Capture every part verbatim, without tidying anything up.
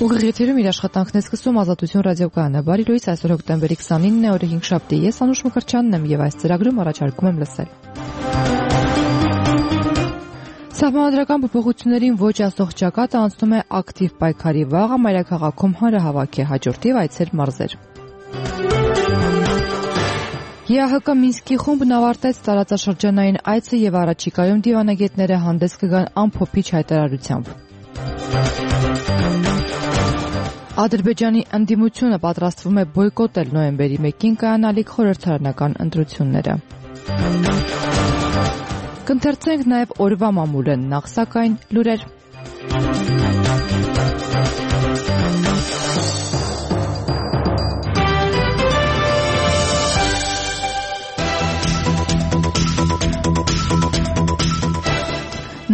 Ուղիղ եթերում իր աշխատանքն է սկսում Ազատություն ռադիոկայանը։ Բարի լույս, այսօր հոկտեմբերի քսանինն է, օրը հինգշաբթի։ Ես Անուշ Մկրտչյանն եմ եւ այս ծրագրում առաջարկում եմ լսել։ Սահմանադրական փոփոխություններին ոչ ասող ճակատը անցնում է ակտիվ պայքարի վաղը, մայրաքաղաքում հանրահավաք է, հաջորդիվ այցեր մարզեր։ ԵԱՀԿ Մինսկի խումբն ավարտեց տարածաշրջանային այցը եւ առաջիկայում դիվանագետները հանդես կգան ամփոփիչ հայտարարությամբ։ Ադրբեջանի ընդդիմությունը պատրաստվում է բոյկոտել նոյեմբերի մեկին կայանալիք խորհրդարանական ընտրությունները։ Կընթերցենք նաև օրվա մամուլը, նախ սակայն լուրեր։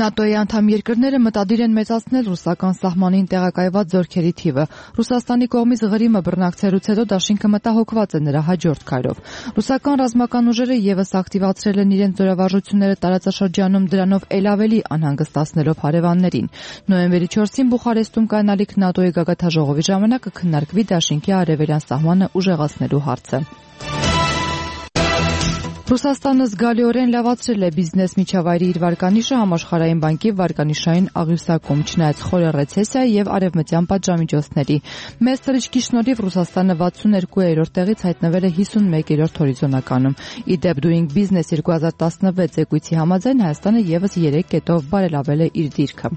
ՆԱՏՕ-ի անդամ երկրները մտադիր են մեծացնել ռուսական սահմանին տեղակայված զորքերի թիվը։ Ռուսաստանի կողմից Ղրիմը բռնակցելուց հետո դաշինքը մտահոգված է նրա հաջորդ քայլով։ Ռուսական ռազմական ուժերը եւս ակտիվացրել են իրենց զորավարժությունները տարածաշրջանում, դրանով ել ավելի անհանգստացնելով հարևաններին։ Նոյեմբերի չորսին Բուխարեստում կայանալիք ՆԱՏՕ-ի գագաթնաժողովի ժամանակ կքննարկվի դաշինքի արևելյան սահմանը ուժեղացնելու հարցը։ Ռուսաստանը զգալիորեն լավացրել է բիզնես միջավայրի իր վարկանիշը համաշխարհային բանկի վարկանիշային աղյուսակում, չնայած խորը ռեցեսիայի եւ արևմտյան պատժամիջոցների։ Մեծ թռիչքի շնորհիվ Ռուսաստանը վաթսունհինգերորդ տեղից հայտնվել է հիսունմեկերորդ հորիզոնականում։ Ի դեպ Doing Business երկու հազար տասնվեց զեկույցի համաձայն Հայաստանը եւս երեք կետով բարելավել է իր դիրքը։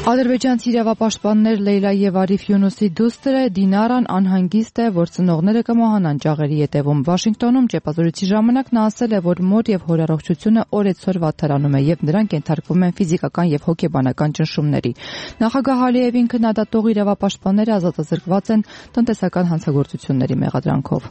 Ադրբեջանցի իրավապաշտպաններ Լեյլա եւ Արիֆ Յունուսի դուստրը Դինարան անհանգիստ է, որ ծնողները կմահանան ճաղերի ետևում։ Վաշինգտոնում ճեպազորույցի ժամանակ նա ասել է, որ մոր եւ հոր առողջությունը օրեցօր վատթարանում է եւ նրանք ենթարկվում են ֆիզիկական եւ հոգեբանական ճնշումների։ Նախագահ Ալիևին քննադատող իրավապաշտպանները ազատազրկված են տնտեսական հանցագործությունների մեղադրանքով։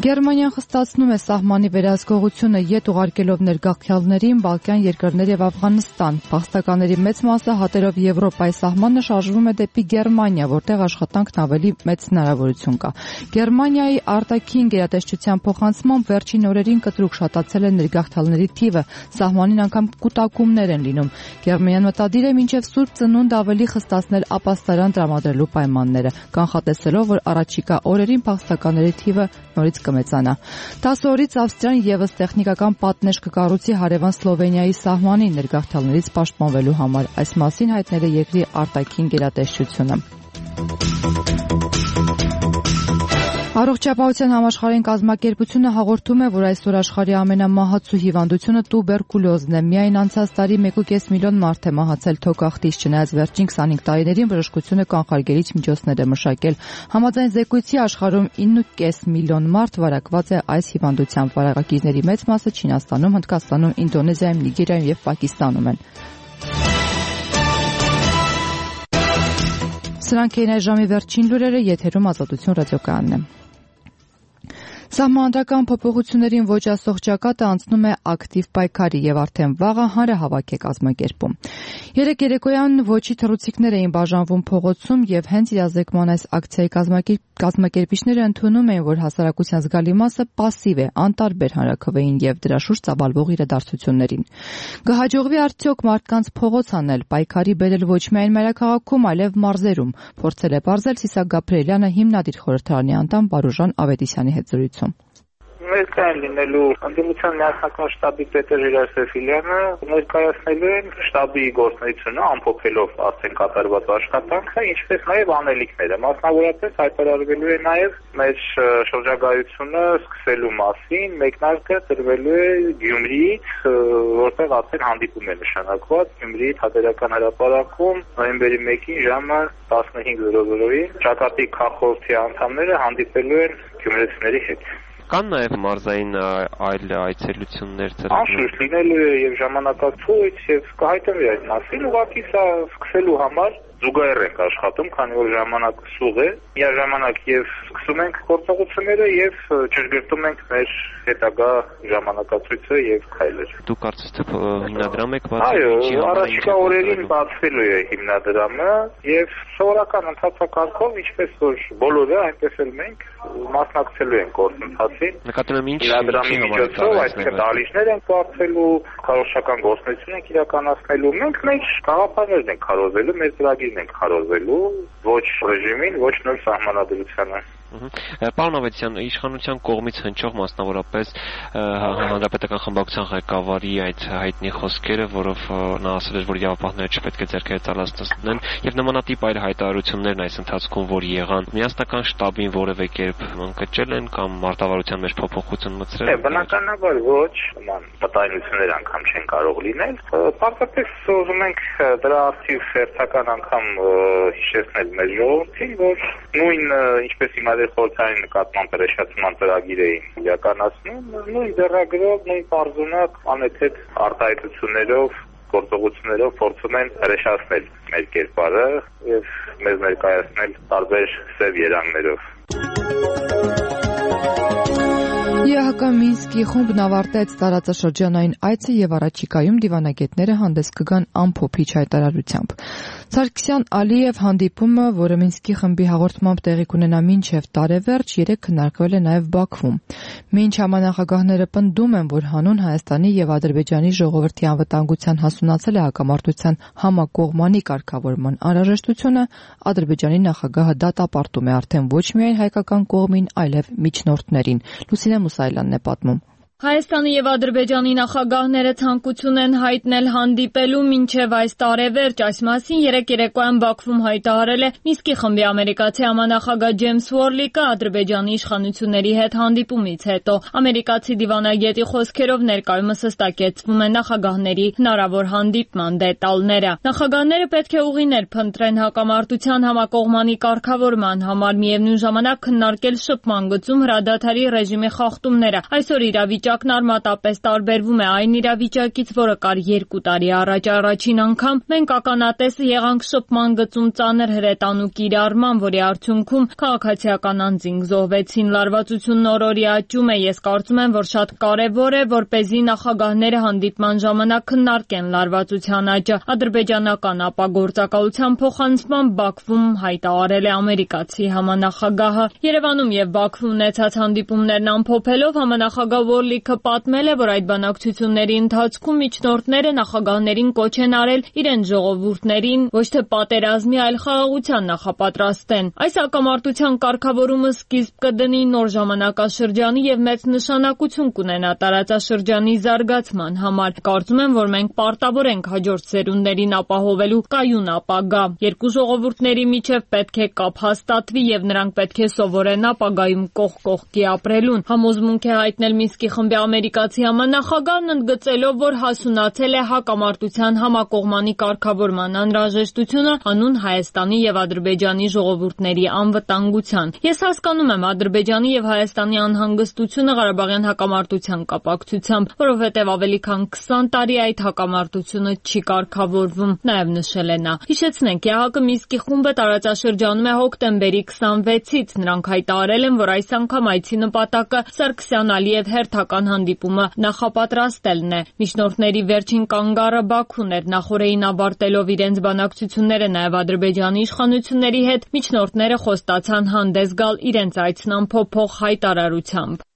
Գերմանիան խստացնում է սահմանի վերահսկողությունը յետ ուղարկելով ներգաղթյալներին Բալկան երկրներ եւ Աֆղանստան։ Փախստականների մեծ մասը հատերով Եվրոպայի սահմանը շարժվում է դեպի Գերմանիա, որտեղ աշխատանքն ավելի մեծ հնարավորություն կա։ Գերմանիայի արտաքին գերատեսչության փոխանցմամբ վերջին օրերին կտրուկ շատացել է ներգաղթյալների թիվը, սահմանին անգամ կուտակումներ են լինում։ Գերմանիան մտադիր է մինչև Սուրբ Ծնունդ ավելի խստացնել ապաստարան տրամադրելու պայմանները, կանխատեսելով, որ առաջիկա օրերին փախստականների թիվը նորից կմեծանա։ տասը օրից Ավստրիան եւս տեխնիկական պատնեշ կկառուցի հարևան Սլովենիայի սահմանին ներգաղթյալներից պաշտպանվելու համար։ Այս մասին հայտնել է երկրի արտաքին գերատեսչությունը։ Առողջապահության համաշխարհային կազմակերպությունը հաղորդում է, որ այսօր աշխարհի ամենամահացու հիվանդությունը տուբերկուլոզն է։ Միայն անցած տարի մեկ ու կես միլիոն մարդ է մահացել թոքախտից, չնայած վերջին քսանհինգ տարիներին բժշկությունը կանխարգելիչ միջոցներ է մշակել։ Համաձայն զեկույցի աշխարհում ինը ու կես միլիոն մարդ վարակված է այս հիվանդությամբ։ Վարակագիրների մեծ մասը Չինաստանում, Հնդկաստանում, Ինդոնեզիայում, Նիգերիայում եւ Պակիստանում են։ Սրանք էին այս ժամի վերջին լուրերը, եթերում Ազատություն ռադիոկայանն է։ Սահմանադրական փոփոխություններին ոչ ասող ճակատը անցնում է ակտիվ պայքարի եւ արդեն վաղը հանրահավաք է կազմակերպում։ Երեք երեկոյան ոչի թռուցիկներ էին բաժանվում փողոցում եւ հենց իրազեկման այս ակցիայի կազմակերպիչները ընդունում էին, որ հասարակության զգալի մասը пассив է, անտարբեր հանրաքվեին եւ դրա շուրջ ծավալվող իրադարձություններին։ Կհաջողվի արդյոք մարդկանց փողոց անել, պայքարի բերել ոչ միայն մայրաքաղաքում, այլև մարզերում, փորձել է բարձել Սիսակ Գաբրիելյանը, հիմնադիր խորհրդարանի անդամ Բարոժան Ավետիսյանի հետ զրույցում։ Ներկայ լինելու ընդդիմության միասնական շտաբի պետը Ժիրայր Սեֆիլյանը ներկայացնելու են շտաբի գործունեությունը ամփոփելով արդեն կատարված աշխատանքը, ինչպես նաև անելիքները։ Մասնավորապես հայտարարվելու է նաև մեր շրջագայությունը սկսելու մասին, մեկնարկը տրվելու է Գյումրիից, որտեղ արդեն հանդիպում է նշանակված Գյումրիի Թատերական հրապարակում նոյեմբերի մեկին ժամը տասնհինգ զորո զորոյին ճակատի քաղաքորդի անդամները հանդիպելու են գյումրեցիների հետ։ Կան նաև մարզային այլ այցելություններ ծրագրեր։ Անշուշտ լինելու է եւ ժամանակացույց եւ կհայտնվի այդ մասին, ուղղակի սա սկսելու համար զուգահեռ ենք աշխատում, քանի որ ժամանակը սուղ է, միաժամանակ եւ սկսում ենք գործողությունները եւ ճշգրտում ենք մեր հետագա ժամանակացույցը եւ քայլերը։ Դուք կարծես թե հիմնադրամ եք բացել։ Այո, առաջիկա օրերին բացվելու է հիմնադրամը եւ սովորական ընթացակարգով, ինչպես որ բոլորը, այնպես էլ մենք մասնակցելու ենք գործընթացին։ Նկատում եմ ինչ հիմնադրամի միջոցով այսինքն դահլիճներ ենք բացելու, քարոզչական գործունեություն ենք իրականացնելու։ Մենք մեր գաղափարներն ենք քարոզելու, մեր ծրագիրն ենք քարոզելու, ոչ ռեժիմին, ոչ նոր սահմանադրությանը։ Պարոն Ավետիսյան, իշխանության կողմից հնչող մասնավորապես հանրապետական խմբակցության ղեկավարի այդ հայտնի խոսքերը, որով նա ասել էր, որ իրավապահները չպետք է ձեռքերը ծալացնեն, եւ նմանատիպ այլ հայտարարություններն այս ընթացքում որ եղան, միասնական շտաբին որևէ կերպ ընկճել են կամ մարտավարության մեջ փոփոխություն մտցրել։ Է, բնականաբար ոչ, նման մտայնություններ անգամ չեն կարող լինել։ Պարզապես ուզում ենք դրա արդիվ հերթական անգամ հիշեցնել մեր ժողովրդին, որ նույն ինչպես հիմա խորհրդային նկատմամբ հրեշացման ծրագիր էին իրականացնում, նույն ձեռագրով, նույն պարզունակ անհետ արտահայտություններով, գործողություններով փորձում են հրեշացնել մեր կերպարը եւ մեզ ներկայացնել տարբեր սև երանգներով։ ԵՀԿ Մինսկի խումբն ավարտեց տարածաշրջանային այցը եւ առաջիկայում դիվանագետները հանդես կգան ամփոփիչ հայտարարությամբ։ Սարգսյան Ալիև հանդիպումը, որը Մինսկի խմբի հաղորդմամբ տեղի կունենա մինչև տարեվերջ, երեկ քննարկվել է նաեւ Բաքվում։ Մինչ համանախագահները պնդում են, որ հանուն Հայաստանի եւ Ադրբեջանի ժողովրդի անվտանգության հասունացել է հակամարտության համակողմանի կարգավորման անհրաժեշտությունը, Ադրբեջանի նախագահը դատապարտում է արդեն ոչ միայն հայկական կողմին, այլև միջնորդներին։ Լուսինե Մուսայելյանն է պատմում։ Հայաստանի եւ Ադրբեջանի նախագահները ցանկություն են հայտնել հանդիպելու մինչև այս տարեվերջ, այս մասին երեկ երեկոյան Բաքվում հայտարարել է Մինսկի խմբի ամերիկացի համանախագահ Ջեյմս Ուորլիկը Ադրբեջանի իշխանությունների հետ հանդիպումից հետո։ Ամերիկացի դիվանագետի խոսքերով ներկայումս հստակեցվում է նախագահների հնարավոր հանդիպման դետալները։ Նախագահները պետք է ուղիներ փնտրեն հակամարտության համակողմանի կարգավորման համար, միևնույն ժամանակ քննարկել շփման գծում հրադադարի ռեժիմի խախտումները։ Այսօր իրավիճակը Իրավիճակն արմատապես տարբերվում է այն իրավիճակից, որը կար երկու տարի առաջ։ Առաջին անգամ մենք ականատես եղանք շփման գծում ծանր հրետանու կիրառման, որի արդյունքում քաղաքացիական անձինք զոհվեցին։ Լարվածությունն օր-օրի աճում է։ Ես կարծում եմ, որ շատ կարևոր է, որպեսզի նախագահները հանդիպման ժամանակ քննարկեն լարվածության աճը։ Ադրբեջանական ապագործակալության փոխանցման Բաքվում հայտարարել է ամերիկացի համանախագահը։ Երևանում եւ Բաքվում ունեցած հանդիպումներն ամփոփելով համանախագահ Ուորլիկը պատմել է, որ այդ բանակցությունների ընթացքում միջնորդները նախագահներին կոչ են արել իրենց ժողովուրդներին ոչ թե պատերազմի, այլ խաղաղության նախապատրաստեն։ Այս հակամարտության կարգավորումը սկիզբ կդնի նոր ժամանակաշրջանի եւ մեծ նշանակություն կունենա տարածաշրջանի զարգացման համար։ Կարծում եմ, որ մենք պարտավոր ենք հաջորդ սերունդներին ապահովելու կայուն ապագա։ Երկու ժողովուրդների միջև պետք է կապ հաստատվի եւ նրանք պետք է սովորեն ապագայում կողք կողքի ապրելուն։ Համոզմունք է հայտնել Մինսկի խմբի ամերիկացի համանախագահն ընդգծելով, որ հասունացել է հակամարտության համակողմանի կարգավորման անհրաժեշտությունը հանուն Հայաստանի եւ Ադրբեջանի ժողովուրդների անվտանգության։ Ես հասկանում եմ Ադրբեջանի եւ Հայաստանի անհանգստությունը Ղարաբաղյան հակամարտության կապակցությամբ, որովհետեւ ավելի քան քսան տարի այդ հակամարտությունը չի կարգավորվում, նաեւ նշել է նա։ Հիշեցնենք, ԵՀԿ Մինսկի խումբը տարածաշրջանում է հոկտեմբերի քսանվեցից։ Նրանք հայտարարել են, որ այս անգամ այցի նպատակը Սարգսյան Ալիև հերթական հանդիպումը նախապատրաստելն է։ Միջնորդների վերջին կանգառը Բաքուն էր։ Նախորդին ավարտելով իրենց բանակցությունները նաև Ադրբեջանի իշխանությունների հետ, միջնորդները խոստացան հանդես գալ իրենց այցն ամփոփող հայտարարությամբ։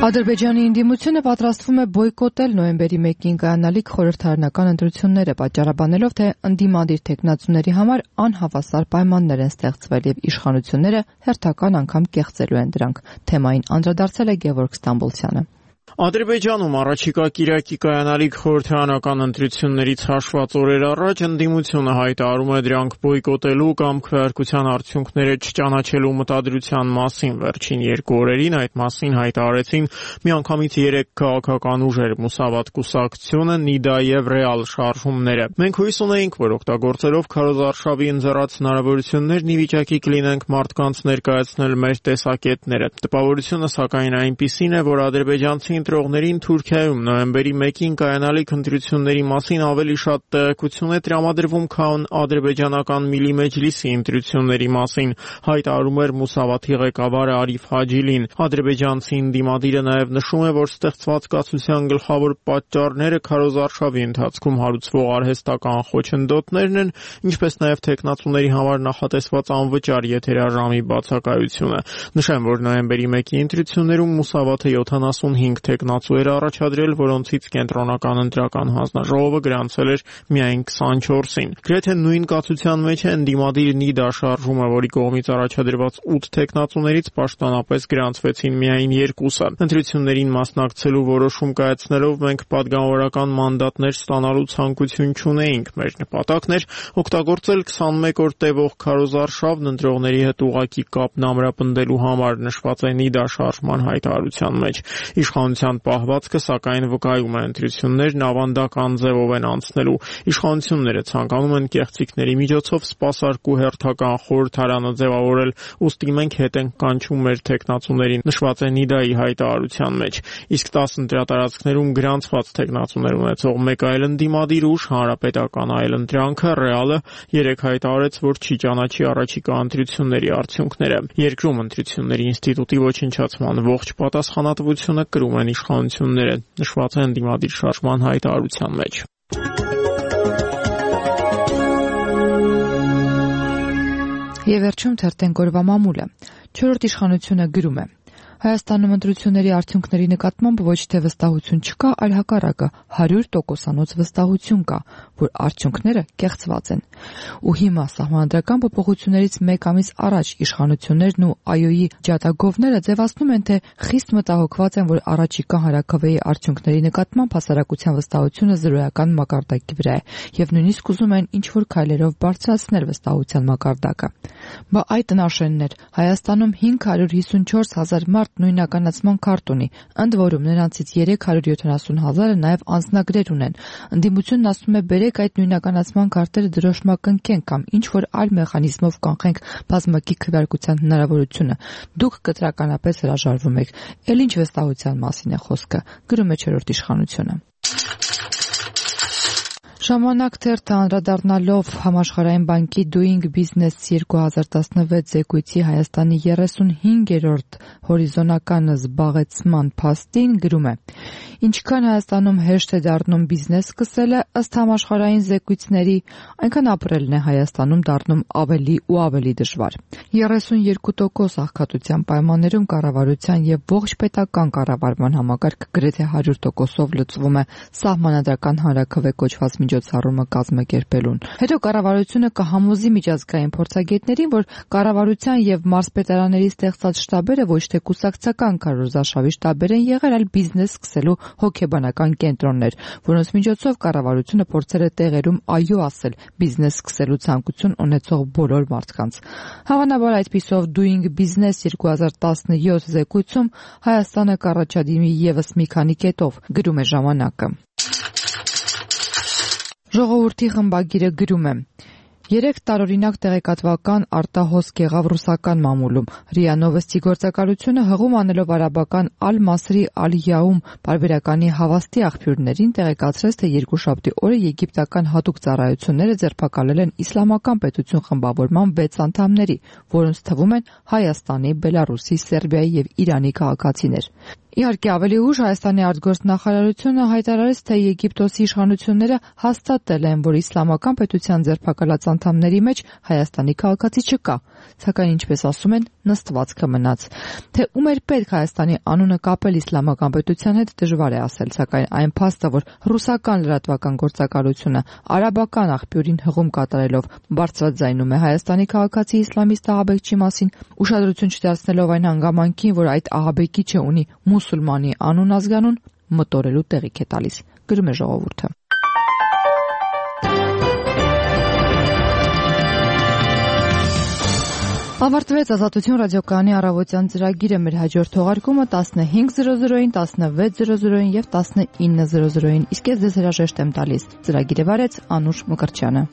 Ադրբեջանի ընդդիմությունը պատրաստվում է բոյկոտել նոյեմբերի մեկին կայանալիք խորհրդարանական ընտրությունները, պատճառաբանելով, թե ընդդիմադիր թեկնածուների համար անհավասար պայմաններ են ստեղծվել եւ իշխանությունները հերթական անգամ կեղծելու են դրանք։ Թեմային անդրադարձել է Գևորգ Ստամբոլցյանը։ Ադրբեջանում առաջիկա կիրակի կայանալիք խորհրդարանական ընտրություններից հաշված օրեր առաջ ընդդիմությունը հայտարարում է դրանք բոյկոտելու կամ քվեարկության արդյունքները չճանաչելու մտադրության մասին։ Վերջին երկու օրերին այդ մասին հայտարարեցին միանգամից երեք քաղաքական ուժեր՝ Մուսավատ կուսակցությունը, Նիդա եւ Ռեալ շարժումները։ Մենք հույս ունեինք, որ օգտագործելով քարոզարշավի ընձեռած հնարավորություններն ի վիճակի կլինենք մարդկանց ներկայացնել մեր տեսակետները։ Տպավորությունը սակայն այնպիսին է, որ ադրբեջանցի ընտրողներին Թուրքիայում նոյեմբերի մեկին կայանալիք ընտրությունների մասին ավելի շատ տեղեկություն է տրամադրվում, քան ադրբեջանական Միլի Մեջլիսի ընտրությունների մասին, հայտարարում էր Մուսավաթի ղեկավարը Արիֆ Հաջիլին։ Ադրբեջանցի ընդդիմադիրը նաև նշում է, որ ստեղծված կացության գլխավոր պատճառները քարոզարշավի ընթացքում հարուցվող արհեստական խոչընդոտներն են, ինչպես նաև թեկնածուների համար նախատեսված անվճար եթերաժամի բացակայությունը։ Նշեմ, որ նոյեմբերի մեկի ընտրություններում Մուսավաթը յոթանասունհինգ թեկնածու էր առաջադրել, որոնցից կենտրոնական ընտրական հանձնաժողովը գրանցել էր միայն քսանչորսին։ Գրեթե նույն կացության մեջ է ընդդիմադիր Նիդա շարժումը, որի կողմից առաջադրված ութ թեկնածուներից պաշտոնապես գրանցվեցին միայն երկուսը։ Ընտրություններին մասնակցելու որոշում կայացնելով մենք պատգամավորական մանդատներ ստանալու ցանկություն չունեինք։ Մեր նպատակն էր օգտագործել քսանմեկ օր տևող քարոզարշավն ընտրողների հետ ուղղակի կապն ամրապնդելու համար, նշված է Նիդա շարժման հայտարարության մեջ։ Իշխանության պահվածքը, սակայն, վկայում է ընտրություններն ավանդական ձևով են անցնելու։ Իշխանությունները ցանկանում են կեղծիքների միջոցով սպասարկու հերթական խորհրդարանը ձևավորել, ուստի մենք հետ ենք կանչում մեր թեկնածուներին, նշված է Նիդայի հայտարարության մեջ։ Իսկ տասը ընտրատարածքներում գրանցված թեկնածուներ ունեցող մեկ այլ ընդդիմադիր ուժ, Հանրապետական այլընտրանքը, Ռեալը, երեկ հայտարարեց, որ չի ճանաչի առաջիկա ընտրությունների արդյունքները։ Երկրում ընտրությունների ինստիտուտի ոչնչացման ողջ պատասխանատվությունը կրում են իշխանությունները, նշված է ընդդիմադիր շարժման հայտարարության մեջ։ Եվ վերջում թերթենք օրվա մամուլը։ Չորրորդ իշխանությունը գրում է. Հայաստանում ընտրությունների արդյունքների նկատմամբ ոչ թե վստահություն չկա, այլ հակառակը հարյուր տոկոսանոց վստահություն կա, որ արդյունքները կեղծված են։ Ու հիմա սահմանադրական փոփոխություններից մեկ ամիս առաջ իշխանություններն ու ԱՅՈ-ի ջատագովները ձևացնում են, թե խիստ մտահոգված են, որ առաջիկա հանրաքվեի արդյունքների նկատմամբ հասարակության վստահությունը զրոյական մակարդակի վրա է, եւ նույնիսկ ուզում են ինչ-որ քայլերով բարձրացնել վստահության մակարդակը։ Բա այդ տնաշեններ Հայաստանում հինգ հարյուր հիսունչորս հազար մարդ նույնականացման քարտ ունի, ընդ որում նրանցից երեք հարյուր յոթանասուն հազարը նաև անձնագրեր ունեն։ Ընդդիմությունն ասում է բերեք այդ նույնականացման քարտերը դրոշմակնքենք կամ ինչ-որ այլ մեխանիզմով կանխենք բազմակի քվեարկության հնարավորությունը։ Դուք կտրականապես հրաժարվում եք։ Էլ ինչ վստահության մասին է խոսքը, գրում է չորրորդ իշխանությունը։ Ժամանակ թերթը անդրադառնալով Համաշխարհային բանկի Doing Business երկու հազար տասնվեց զեկույցի Հայաստանի երեսունհինգերորդ հորիզոնական զբաղեցման փաստին գրում է. Ինչքան Հայաստանում հեշտ է դառնում բիզնես սկսելը, ըստ համաշխարհային զեկույցների, այնքան ապրելն է Հայաստանում դառնում ավելի ու ավելի դժվար։ երեսունյոթ տոկոս աղքատության պայմաններում կառավարության եւ ողջ պետական կառավարման համակարգը գրեթե հարյուր տոկոսով լուծվում է սահմանադրական հանրաքվե կոչված միջոցառումը կազմակերպելուն։ Հետո կառավարությունը կհամոզի միջազգային փորձագետներին, որ կառավարության եւ մարզպետարանների ստեղծած շտաբերը ոչ թե կուսակցական քարոզարշավի շտաբեր են եղել, այլ բիզնես սկսելու հոգեբանական կենտրոններ, որոնց միջոցով կառավարությունը փորձել է տեղերում այո ասել բիզնես սկսելու ցանկություն ունեցող բոլոր մարդկանց։ Հավանաբար այդպիսով Doing Business երկու հազար տասնյոթ զեկույցում Հայաստանը կառաջադիմի եւս մի քանի կետով, գրում է ժամանակը։ Ժողովրդի խմբագիրը գրում է. Երեք տարօրինակ տեղեկատվական արտահոսք եղավ ռուսական մամուլում։ ՌԻԱ Նովոստի գործակալությունը հղում անելով արաբական Ալ-Մասրի Ալ-Յաում պարբերականի հավաստի աղբյուրներին տեղեկացրեց, թե երկուշաբթի օրը եգիպտական հատուկ ծառայությունները ձերբակալել են իսլամական պետություն խմբավորման վեց անդամների, որոնց թվում են Հայաստանի, Բելարուսի, Սերբիայի եւ Իրանի քաղաքացիներ։ Իհարկե ավելի ուշ Հայաստանի արտգործնախարարությունը հայտարարեց, թե Եգիպտոսի իշխանությունները հաստատել են, որ իսլամական պետության ձերբակալած անդամների մեջ Հայաստանի քաղաքացի չկա, սակայն ինչպես ասում են, նստվածքը մնաց։ Թե ում էր պետք Հայաստանի անունը կապել իսլամական պետության հետ դժվար է ասել, սակայն այն փաստը, որ ռուսական լրատվական գործակալությունը արաբական աղբյուրին հղում կատարելով բարձրաձայնում է Հայաստանի քաղաքացի իսլամիստ ահաբեկչի մասին, ուշադրություն չդարձնելով այն հանգամանքին, որ այդ ահաբեկիչը ունի մուսուլմանի անուն ազգանուն, մտորելու տեղիք է տալիս, գրում է ժողովուրդը։ Ավարտվեց Ազատություն ռադիոկայանի առավոտյան ծրագիրը, մեր հաջորդ թողարկումը տասնհինգ զրո զրոին, տասնվեց զրո զրոին եւ տասնինը զրո զրոին, իսկ ես ձեզ հրաժեշտ եմ տալիս։ Ծրագիրը վարեց Անուշ Մկրտչյանը։